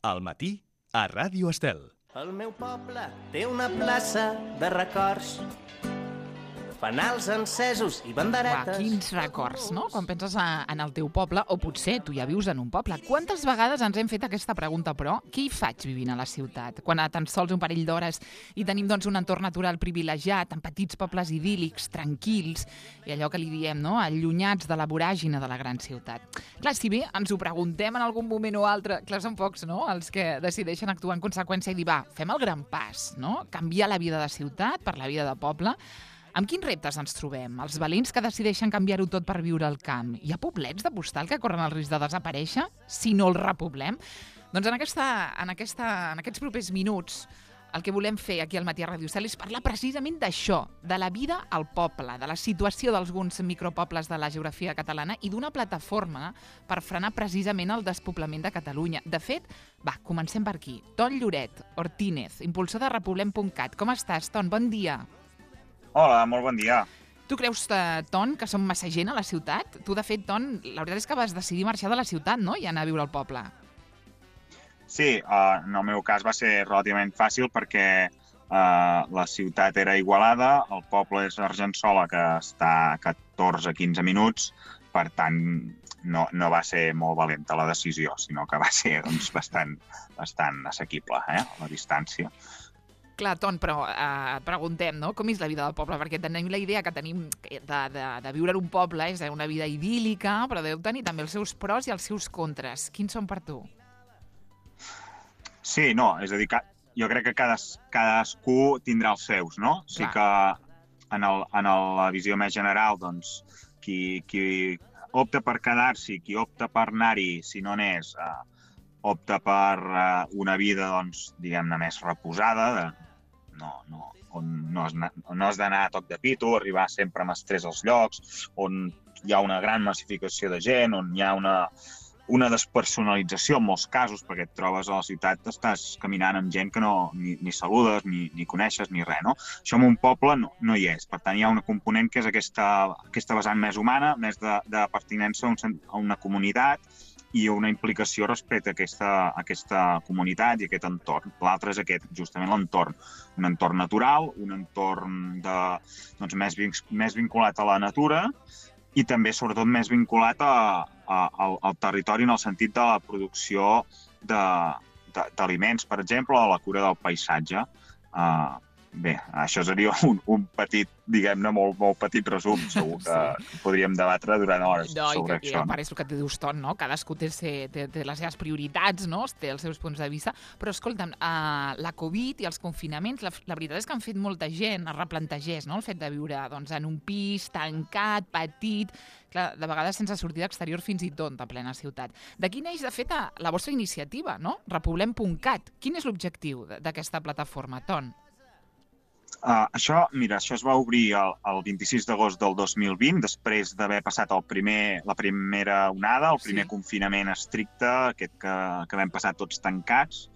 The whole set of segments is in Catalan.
Al matí, a Ràdio Estel. El meu poble té una plaça de records, fanals encesos i banderetes. Quins records, no? Quan penses en el teu poble, o potser tu ja vius en un poble. Quantes vegades ens hem fet aquesta pregunta, però? Què hi faig vivint a la ciutat? Quan a tan sols un parell d'hores i tenim doncs, un entorn natural privilegiat, en petits pobles idíl·lics, tranquils, i allò que li diem, no? Allunyats de la voràgine de la gran ciutat. Clar, si bé ens ho preguntem en algun moment o altre, clar, són pocs, no?, els que decideixen actuar en conseqüència i dir, va, fem el gran pas, no? Canviar la vida de ciutat per la vida de poble. Amb quins reptes ens trobem? Els valents que decideixen canviar-ho tot per viure al camp. Hi ha poblets de postal que corren el risc de desaparèixer si no els repoblem? Doncs en aquests propers minuts el que volem fer aquí al Matí a Ràdio Estel és parlar precisament d'això, de la vida al poble, de la situació d'alguns micropobles de la geografia catalana i d'una plataforma per frenar precisament el despoblament de Catalunya. De fet, va, comencem per aquí. Ton Lloret Ortínez, impulsor de repoblem.cat. Com estàs, Ton? Bon dia. Hola, molt bon dia. Tu creus, Ton, que som massa gent a la ciutat? Tu, de fet, Ton, la veritat és que vas decidir marxar de la ciutat, no?, i anar a viure al poble. Sí, en el meu cas va ser relativament fàcil perquè la ciutat era Igualada, el poble és Argençola, que està a 14-15 minuts, per tant, no va ser molt valenta la decisió, sinó que va ser doncs, bastant assequible, la distància. Clar, Ton, però et preguntem, no?, com és la vida del poble? Perquè tenim la idea que tenim de viure en un poble, és una vida idíl·lica, però deu tenir també els seus pros i els seus contres. Quins són per tu? Sí, no, és a dir, jo crec que cadascú tindrà els seus, no? Sí que en la visió més general, doncs, qui opta per quedar-s'hi, qui opta per anar-hi, si no n'és, opta per una vida, doncs, diguem-ne, més reposada, on no has d'anar a toc de pito, arribar sempre amb estrès als llocs, on hi ha una gran massificació de gent, on hi ha una despersonalització en molts casos, perquè et trobes a la ciutat, estàs caminant amb gent que ni saludes, ni coneixes, ni res, no? Això en un poble no hi és. Per tant, hi ha un component que és aquesta vessant més humana, més de pertinença a una comunitat i una implicació respecte a aquesta comunitat i aquest entorn. L'altre és justament l'entorn. Un entorn natural, un entorn més vinculat a la natura i també, sobretot, més vinculat al territori en el sentit de la producció d'aliments, per exemple, o la cura del paisatge. Bé, això seria un petit, diguem-ne, molt petit resum. Segur que podríem debatre durant hores sobre això. No, és el que et dius, Ton, no? Cadascú té les seves prioritats, no? Té els seus punts de vista, però escolta'm, la Covid i els confinaments, la veritat és que han fet molta gent es replantegés, no?, el fet de viure doncs, en un pis tancat, petit, clar, de vegades sense sortida exterior fins i tot a plena ciutat. D'aquí neix, de fet, la vostra iniciativa, no? Repoblem.cat. Quin és l'objectiu d'aquesta plataforma, Ton? Això es va obrir el 26 d'agost del 2020, després d'haver passat la primera onada, el primer confinament estricte, aquest que vam passar tots tancats,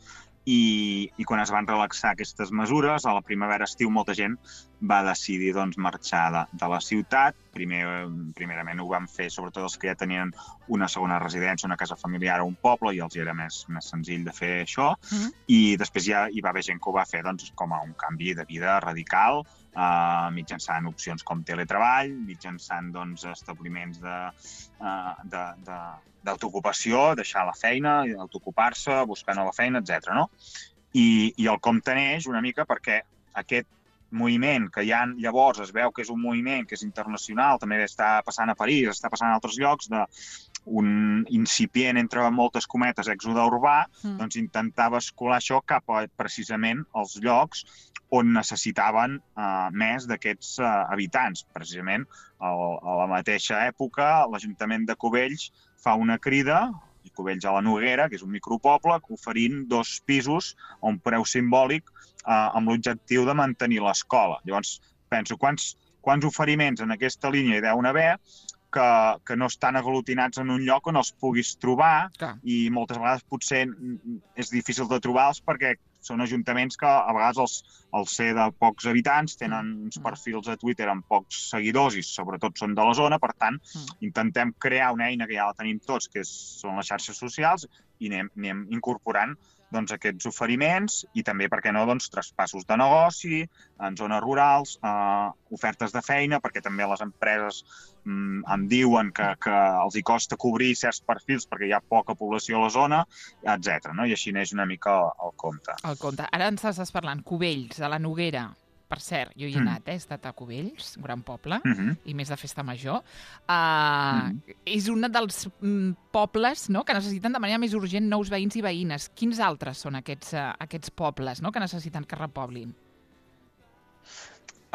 i quan es van relaxar aquestes mesures, a la primavera-estiu molta gent va decidir marxar de la ciutat. Primerament ho van fer sobretot els que ja tenien una segona residència, una casa familiar o un poble, i els era més senzill de fer això. I després ja hi va haver gent que ho va fer com a un canvi de vida radical, mitjançant opcions com teletreball, mitjançant establiments d'autoocupació, deixar la feina, autoocupar-se, buscar nova feina, etc. No? I el compte neix una mica perquè aquest moviment que ja llavors es veu que és un moviment que és internacional, també està passant a París, està passant a altres llocs, d'un incipient, entre moltes cometes, èxode urbà, doncs intentava escolar això cap a precisament els llocs on necessitaven més d'aquests habitants. Precisament, a la mateixa època, l'Ajuntament de Cubells fa una crida, Cubells a la Noguera, que és un micropoble, oferint 2 pisos a un preu simbòlic amb l'objectiu de mantenir l'escola. Llavors, penso, quants oferiments en aquesta línia hi deuen haver que no estan aglutinats en un lloc on els puguis trobar. Clar. I moltes vegades potser és difícil de trobar-los perquè són ajuntaments que a vegades al ser de pocs habitants tenen uns perfils a Twitter amb pocs seguidors i sobretot són de la zona, per tant intentem crear una eina que ja la tenim tots, que són les xarxes socials, i anem incorporant doncs, aquests oferiments i també, per què no, doncs, traspassos de negoci en zones rurals, ofertes de feina, perquè també les empreses em diuen que els hi costa cobrir certs perfils perquè hi ha poca població a la zona, etc. No? I així neix una mica el compte. El compte. Ara ens estàs parlant, Cubells, a la Noguera. Per cert, jo hi he anat, he estat a Cubells, un gran poble, i més de festa major. És un dels pobles, no?, que necessiten de manera més urgent nous veïns i veïnes. Quins altres són aquests pobles, no?, que necessiten que repoblin?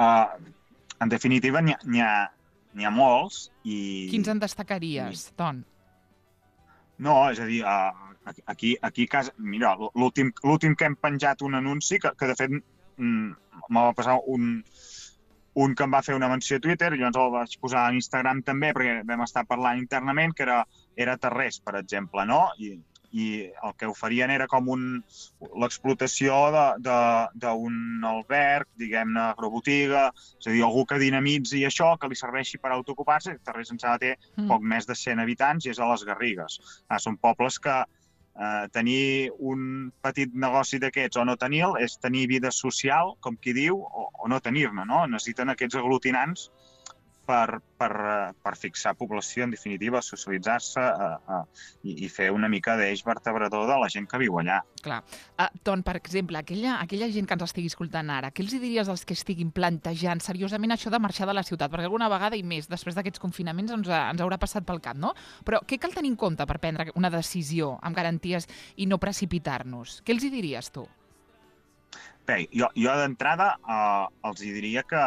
En definitiva, n'hi ha molts. Quins en destacaries, Ton? No, és a dir, aquí a casa... Mira, l'últim que hem penjat un anunci, que de fet me va passar un que em va fer una menció a Twitter, i llavors el vaig posar a Instagram també, perquè vam estar parlant internament, que era Tarrés, per exemple, no? I el que oferien era com l'explotació d'un alberg, diguem-ne, agrobotiga, és a dir, algú que dinamitzi això, que li serveixi per autoocupar-se. Tarrés em sembla que té poc més de 100 habitants i és a les Garrigues. Són pobles que tenir un petit negoci d'aquests o no tenir-lo és tenir vida social, com qui diu, o no tenir-ne, no? Necessiten aquests aglutinants per fixar població, en definitiva, socialitzar-se i fer una mica d'eix vertebrador de la gent que viu allà. Clar. Ton, per exemple, aquella gent que ens estigui escoltant ara, què els diries als que estiguin plantejant seriosament això de marxar de la ciutat? Perquè alguna vegada i més, després d'aquests confinaments, ens haurà passat pel cap, no? Però què cal tenir en compte per prendre una decisió amb garanties i no precipitar-nos? Què els hi diries, tu? Bé, jo d'entrada els hi diria que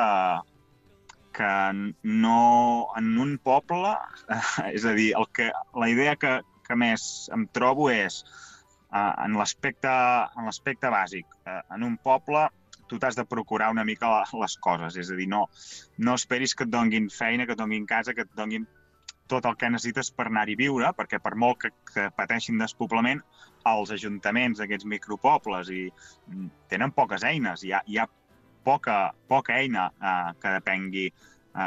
no en un poble, és a dir, la idea que més em trobo és en l'aspecte bàsic. En un poble tu t'has de procurar una mica les coses, és a dir, no esperis que et donguin feina, que et donguin casa, que et donguin tot el que necessites per anar-hi a viure, perquè per molt que pateixin despoblament, els ajuntaments d'aquests micropobles tenen poques eines, hi ha poca eina que depengui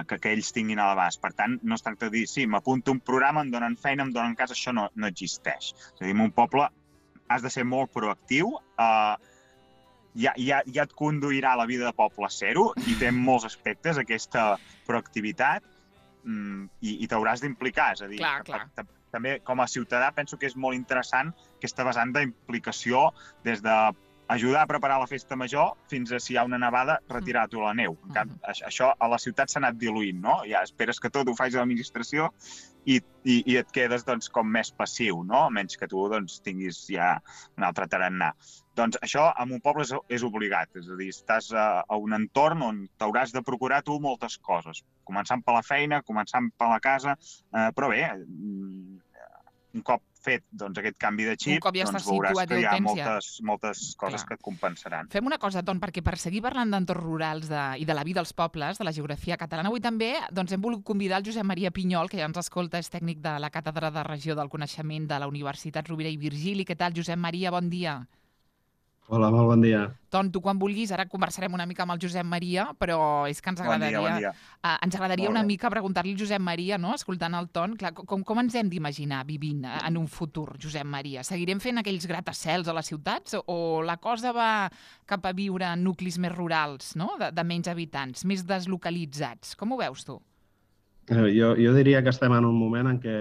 que ells tinguin a l'abast. Per tant, no es tracta de dir, sí, m'apunto un programa, em donen feina, em donen casa, això no existeix. És a dir, en un poble has de ser molt proactiu, ja et conduirà la vida de poble zero i té molts aspectes aquesta proactivitat i t'hauràs d'implicar. És a dir, també com a ciutadà penso que és molt interessant aquesta vessant d'implicació des de ajudar a preparar la festa major fins a, si hi ha una nevada, retirar-t'ho a la neu. Això a la ciutat s'ha anat diluint, no? Ja esperes que tot ho faci l'administració i et quedes doncs, com més passiu, no? Menys que tu doncs, tinguis ja un altre tarannà. Doncs això en un poble és obligat, és a dir, estàs a un entorn on t'hauràs de procurar tu moltes coses, començant per la feina, començant per la casa, però bé, un cop fet doncs, aquest canvi de xip, doncs veuràs que hi ha moltes coses que et compensaran. Fem una cosa, Ton, perquè per seguir parlant d'entorns rurals i de la vida dels pobles, de la geografia catalana, avui també doncs, hem volgut convidar el Josep Maria Pinyol, que ja ens escolta, és tècnic de la Càtedra de Regió del Coneixement de la Universitat Rovira i Virgili. Què tal, Josep Maria? Bon dia. Hola, molt bon dia. Ton, tu quan vulguis, ara conversarem una mica amb el Josep Maria, però és que ens agradaria, bon dia. Ens agradaria una mica preguntar-li al Josep Maria, no? Escoltant el Ton, clar, com ens hem d'imaginar vivint en un futur, Josep Maria? Seguirem fent aquells gratacels a les ciutats o la cosa va cap a viure en nuclis més rurals, no? De menys habitants, més deslocalitzats? Com ho veus tu? Jo diria que estem en un moment en què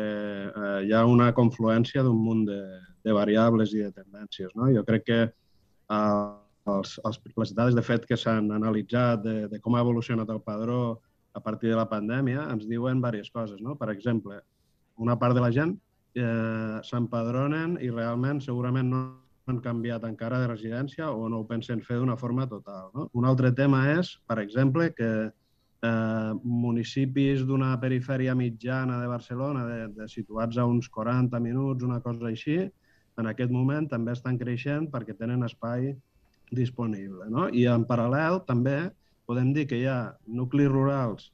hi ha una confluència d'un munt de variables i de tendències, no? Jo crec que les dades de fet que s'han analitzat de com ha evolucionat el padró a partir de la pandèmia ens diuen diverses coses, no? Per exemple, una part de la gent s'empadronen i realment segurament no han canviat encara de residència o no ho pensen fer d'una forma total, no? Un altre tema és, per exemple, que municipis d'una perifèria mitjana de Barcelona, situats a uns 40 minuts, una cosa així, en aquest moment també estan creixent perquè tenen espai disponible, no? I en paral·lel també podem dir que hi ha nuclis rurals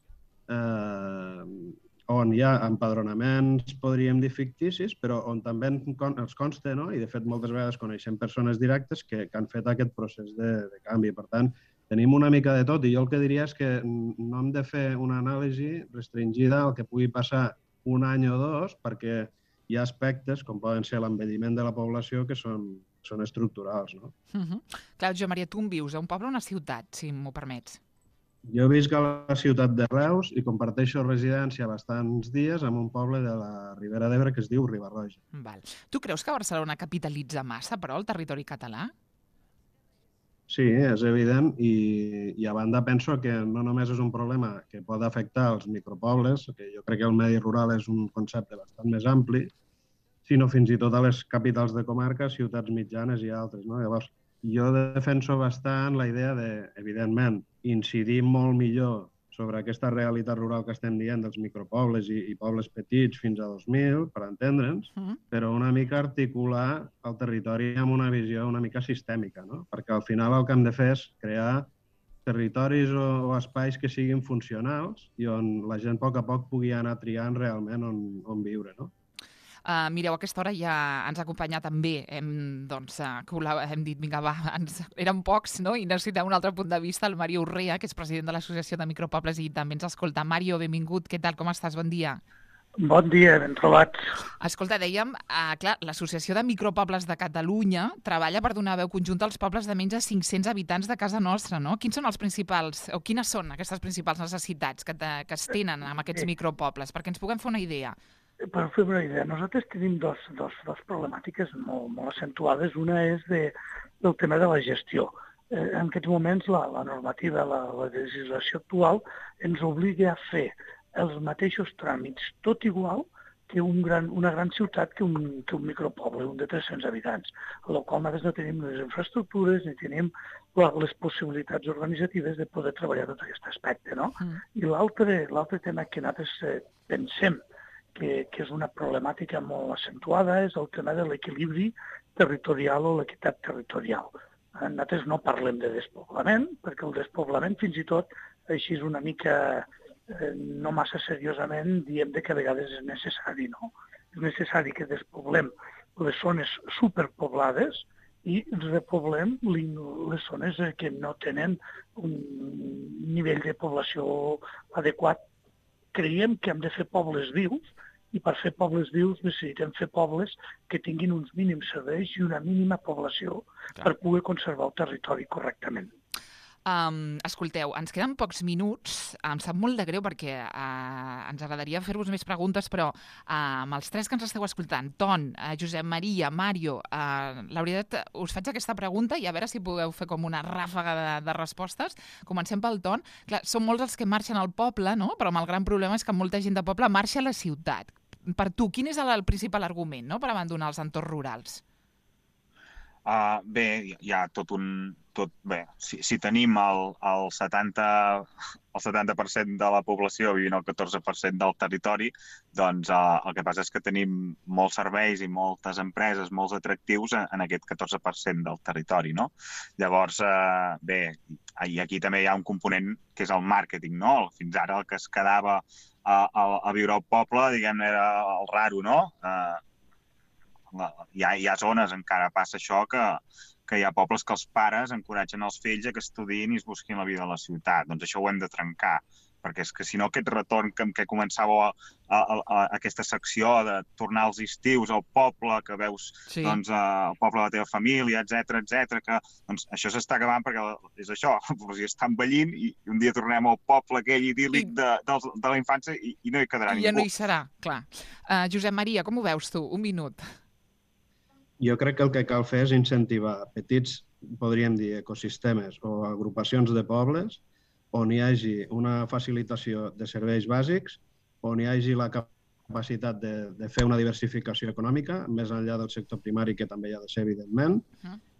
on hi ha empadronaments, podríem dir, ficticis, però on també els consta, no? I de fet moltes vegades coneixem persones directes que han fet aquest procés de canvi. Per tant, tenim una mica de tot i jo el que diria és que no hem de fer una anàlisi restringida al que pugui passar un any o dos, perquè hi ha aspectes, com poden ser l'envelliment de la població, que són estructurals, no? Clar, Josep Maria, tu on vius? A un poble o una ciutat, si m'ho permets? Jo visc a la ciutat de Reus i comparteixo residència bastants dies en un poble de la Ribera d'Ebre que es diu Riba-roja. Val. Tu creus que Barcelona capitalitza massa, però, el territori català? Sí, és evident i a banda penso que no només és un problema que pot afectar els micropobles, que jo crec que el medi rural és un concepte bastant més ampli, sinó fins i tot a les capitals de comarca, ciutats mitjanes i altres, no? Llavors, jo defenso bastant la idea de, evidentment, incidir molt millor sobre aquesta realitat rural que estem dient dels micropobles i pobles petits fins a 2000, per entendre'ns, però una mica articular el territori amb una visió una mica sistèmica, no? Perquè al final el que hem de fer és crear territoris o espais que siguin funcionals i on la gent a poc pugui anar triant realment on viure, no? Mireu, a aquesta hora ja ens acompanya també, hem dit, vinga, va, érem pocs, no? I necessitem un altre punt de vista, el Mario Urrea, que és president de l'Associació de Micropobles i també ens escolta. Mario, benvingut, què tal, com estàs? Bon dia. Bon dia, ben trobats. Escolta, dèiem, clar, l'Associació de Micropobles de Catalunya treballa per donar veu conjunta als pobles de menys de 500 habitants de casa nostra, no? Quins són els principals, o quines són aquestes principals necessitats que es tenen amb aquests micropobles? Perquè ens puguem fer una idea. Per fer una idea, nosaltres tenim dos problemàtiques molt accentuades. Una és del tema de la gestió. En aquests moments la normativa, la legislació actual ens obliga a fer els mateixos tràmits, tot igual que una gran ciutat que un micropoble, un de 300 habitants, amb la qual nosaltres no tenim les infraestructures ni tenim les possibilitats organitzatives de poder treballar tot aquest aspecte, no? I l'altre tema que nosaltres pensem que és una problemàtica molt accentuada és el tema de l'equilibri territorial o l'equitat territorial. Nosaltres no parlem de despoblament, perquè el despoblament fins i tot així és una mica no massa seriosament diem que a vegades és necessari, no? És necessari que despoblem les zones superpoblades i repoblem les zones que no tenen un nivell de població adequat. Creiem que hem de fer pobles vius i per fer pobles vius necessitem fer pobles que tinguin uns mínims serveis i una mínima població per poder conservar el territori correctament. Escolteu, ens queden pocs minuts. Em sap molt de greu perquè ens agradaria fer-vos més preguntes, però amb els tres que ens esteu escoltant, Ton, Josep Maria, Mario, la veritat, us faig aquesta pregunta i a veure si podeu fer com una ràfaga de respostes. Comencem pel Ton. Clar, són molts els que marxen al poble, no? Però el gran problema és que molta gent de poble marxa a la ciutat. Per tu, quin és el principal argument, no?, per abandonar els entorns rurals? Bé, hi ha si tenim el 70% de la població vivint al 14% del territori, doncs el que passa és que tenim molts serveis i moltes empreses, molts atractius en aquest 14% del territori, no? Llavors, bé, i aquí també hi ha un component que és el màrqueting, no? Fins ara el que es quedava a viure al poble, diguem, era el raro, no? Hi ha zones, encara passa això, que hi ha pobles que els pares encoratgen els fills a que estudiïn i es busquin la vida a la ciutat. Doncs això ho hem de trencar, perquè és que si no aquest retorn que començava aquesta secció de tornar als estius al poble, que veus el poble de la teva família, etc., que això s'està acabant perquè és això, està envellint i un dia tornem al poble aquell idíl·lic de la infància i no hi quedarà ningú. I ja no hi serà, clar. Josep Maria, com ho veus tu? Un minut. Jo crec que el que cal fer és incentivar petits, podríem dir, ecosistemes o agrupacions de pobles on hi hagi una facilitació de serveis bàsics, on hi hagi la capacitat de fer una diversificació econòmica, més enllà del sector primari, que també hi ha de ser, evidentment,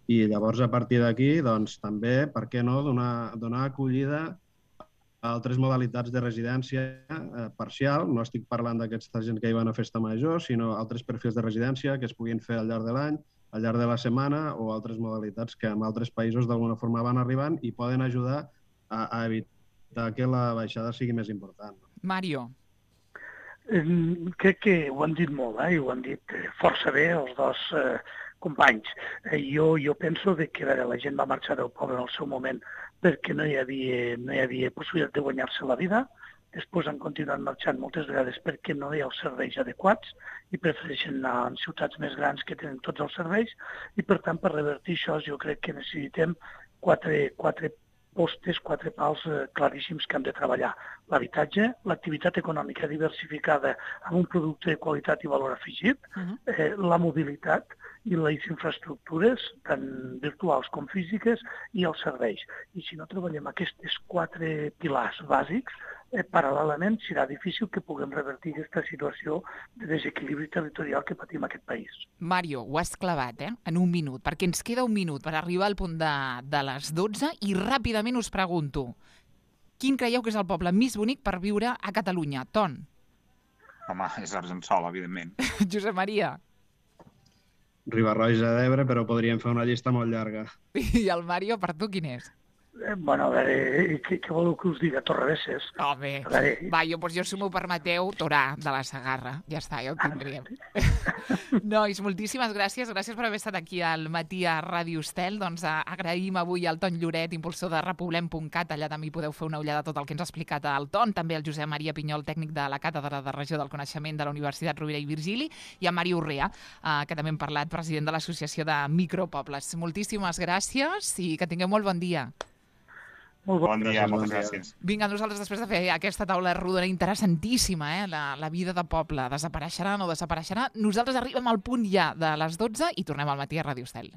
i llavors, a partir d'aquí, doncs, també, per què no, donar acollida a altres modalitats de residència parcial. No estic parlant d'aquesta gent que hi van a festa major, sinó altres perfils de residència que es puguin fer al llarg de l'any, al llarg de la setmana, o altres modalitats que en altres països d'alguna forma van arribant i poden ajudar a evitar que la baixada sigui més important. Mario. Crec que ho han dit molt, i ho han dit força bé els dos companys. Jo penso que la gent va marxar del poble en el seu moment perquè no hi havia possibilitat de guanyar-se la vida. Després han continuat marxant moltes vegades perquè no hi ha els serveis adequats i prefereixen anar en ciutats més grans que tenen tots els serveis i, per tant, per revertir això jo crec que necessitem quatre postes, 4 pals claríssims que han de treballar. L'habitatge, l'activitat econòmica diversificada amb un producte de qualitat i valor afegit, la mobilitat i les infraestructures, tant virtuals com físiques, i els serveis. I si no treballem aquests 4 pilars bàsics, paral·lelament serà difícil que puguem revertir aquesta situació de desequilibri territorial que patim aquest país. Mario, ho has clavat, en un minut, perquè ens queda un minut per arribar al punt de les 12 i ràpidament us pregunto, quin creieu que és el poble més bonic per viure a Catalunya? Ton? Home, és Argençola, evidentment. Josep Maria? Riba-roja d'Ebre, però podríem fer una llista molt llarga. I el Mario, per tu, quin és? Bueno, a veure, què voleu que us diga? Torrebesses. Home, va, jo si m'ho permeteu, Torà, de la Segarra. Ja està, ja ho tindríem. Nois, moltíssimes gràcies. Gràcies per haver estat aquí al matí a Ràdio Estel. Doncs agraïm avui al Ton Lloret, impulsor de repoblem.cat. Allà també hi podeu fer una ullada a tot el que ens ha explicat el Ton. També el Josep Maria Pinyol, tècnic de la Càtedra de Regió del Coneixement de la Universitat Rovira i Virgili, i a Mario Urrea, que també hem parlat, president de l'Associació de Micropobles. Moltíssimes gràcies i que tingueu molt bon dia. Bon dia, moltes gràcies. Vinga, nosaltres després de fer aquesta taula rodona interessantíssima, la vida de poble, desapareixerà o no desapareixerà, nosaltres arribem al punt ja de les 12 i tornem al matí a Ràdio Estel.